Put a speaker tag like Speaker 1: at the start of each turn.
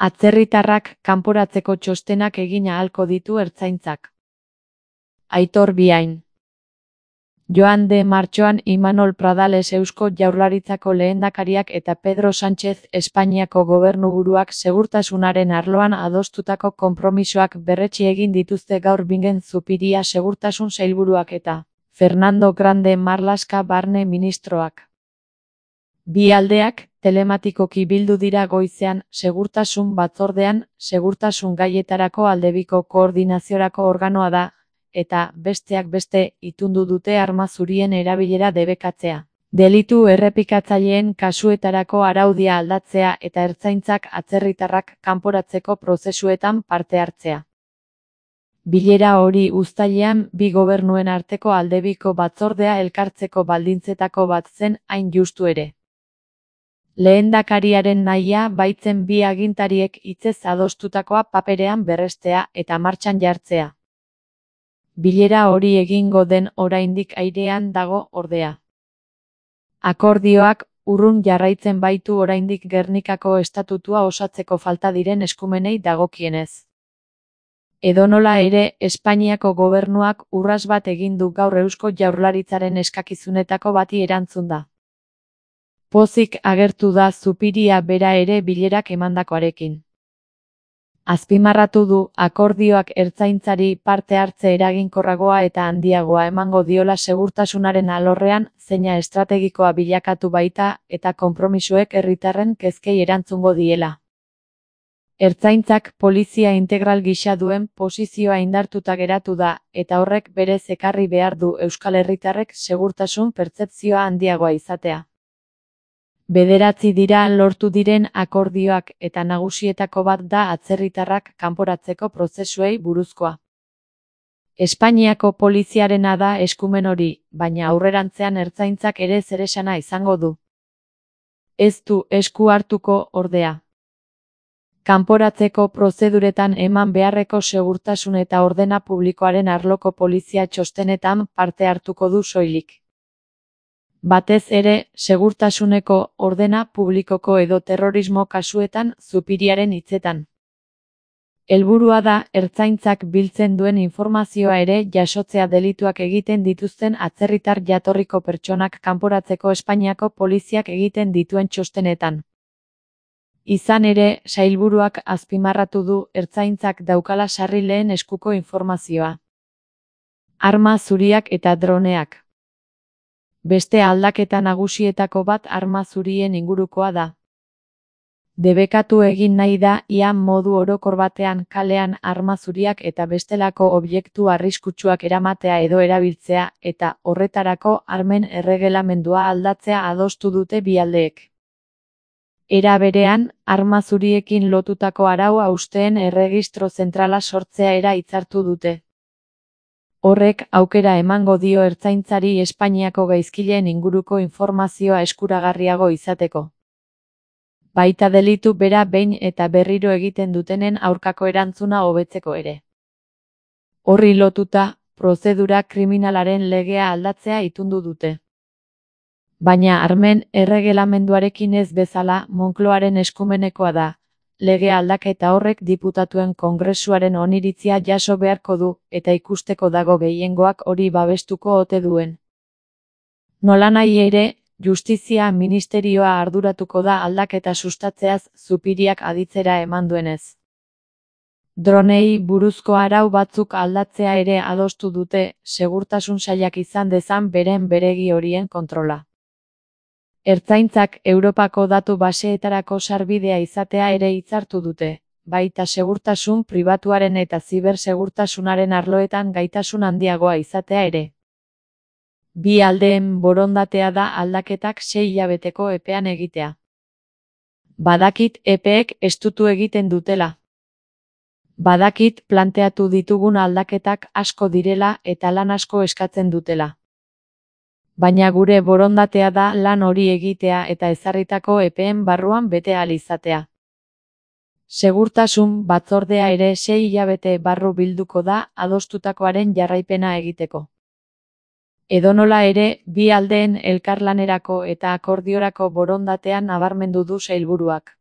Speaker 1: Atzerritarrak kanporatzeko txostenak egin ahalko ditu ertzaintzak. Aitor Biain. Joan de martxoan Imanol Pradales Eusko Jaurlaritzako lehendakariak eta Pedro Sánchez Espainiako gobernuburuak segurtasunaren arloan adostutako konpromisoak berretsi egin dituzte gaur Bingen Zupiria segurtasun sailburuak eta Fernando Grande Marlaska barne ministroak. Bi aldeak telematikoki bildu dira goizean segurtasun batzordean, segurtasun gaietarako aldebiko koordinaziorako organoa da, eta besteak beste itundu dute arma zurien erabilera debekatzea, delitu errepikatzaileen kasuetarako araudia aldatzea eta ertzaintzak atzerritarrak kanporatzeko prozesuetan parte hartzea. Bilera hori uztailean bi gobernuen arteko aldebiko batzordea elkartzeko baldintzetako bat zen hain justu ere. Lehendakariaren nahia baitzen bi agintariek hitzez adostutakoa paperean berrestea eta martxan jartzea. Bilera hori egingo den oraindik airean dago ordea. Akordioak urrun jarraitzen baitu oraindik Gernikako estatutua osatzeko falta diren eskumenei dagokienez. Edonola ere, Espainiako gobernuak urrats bat egin du gaur Eusko Jaurlaritzaren eskakizunetako bati erantzun da. Pozik agertu da Zupiria bera ere bilerak emandakoarekin. Azpimarratu du akordioak ertzaintzari parte hartze eraginkorragoa eta handiagoa emango diola segurtasunaren alorrean, zeina estrategikoa bilakatu baita eta konpromisoek herritarren kezkei erantzungo diela. Ertzaintzak polizia integral gisa duen posizioa indartuta geratu da, eta horrek berez ekarri behar du euskal herritarrek segurtasun pertzepzioa handiagoa izatea. 9 dira lortu diren akordioak eta nagusietako bat da atzerritarrak kanporatzeko prozesuei buruzkoa. Espainiako poliziarena da eskumen hori, baina aurrerantzean ertzaintzak ere zeresana izango du. Ez du esku hartuko ordea. Kanporatzeko prozeduretan eman beharreko segurtasun eta ordena publikoaren arloko polizia txostenetan parte hartuko du soilik. Batez ere, segurtasuneko ordena publikoko edo terrorismo kasuetan Zupiriaren hitzetan. Helburua da ertzaintzak biltzen duen informazioa ere jasotzea delituak egiten dituzten atzerritar jatorriko pertsonak kanporatzeko Espainiako poliziak egiten dituen txostenetan. Izan ere, sailburuak azpimarratu du ertzaintzak daukala sarri lehen eskuko informazioa. Arma zuriak eta droneak. Beste aldaketa nagusietako bat arma zurien ingurukoa da. Debekatu egin nahi da ia modu orokor batean kalean arma zuriak eta bestelako objektu arriskutsuak eramatea edo erabiltzea eta horretarako armen erregelamendua aldatzea adostu dute bi aldeek. Era berean, arma zuriekin lotutako arau hausteen erregistro zentrala sortzea era hitzartu dute. Horrek aukera emango dio ertzaintzari Espainiako gaizkileen inguruko informazioa eskuragarriago izateko. Baita delitu bera behin eta berriro egiten dutenen aurkako erantzuna hobetzeko ere. Horri lotuta, prozedura kriminalaren legea aldatzea itundu dute. Baina armen erregelamenduarekin ez bezala Moncloaren eskumenekoa da. Lege aldaketa horrek diputatuen kongresuaren oniritzia jaso beharko du, eta ikusteko dago gehiengoak hori babestuko ote duen. Nolanahi ere, Justizia Ministerioa arduratuko da aldaketa sustatzeaz Zupiriak aditzera eman duenez. Dronei buruzko arau batzuk aldatzea ere adostu dute, segurtasun sailak izan dezan beren beregi horien kontrola. Ertzaintzak Europako datu baseetarako sarbidea izatea ere hitzartu dute, baita segurtasun pribatuaren eta zibersegurtasunaren arloetan gaitasun handiagoa izatea ere. Bi aldeen borondatea da aldaketak 6 hilabeteko epean egitea. Badakit epeek estutu egiten dutela. Badakit planteatu ditugun aldaketak asko direla eta lan asko eskatzen dutela. Baina gure borondatea da lan hori egitea eta ezarritako epeen barruan bete ahal izatea. Segurtasun batzordea ere 6 hilabete barru bilduko da adostutakoaren jarraipena egiteko. Edonola ere, bi aldeen elkarlanerako eta akordiorako borondatean nabarmendu du sailburuak.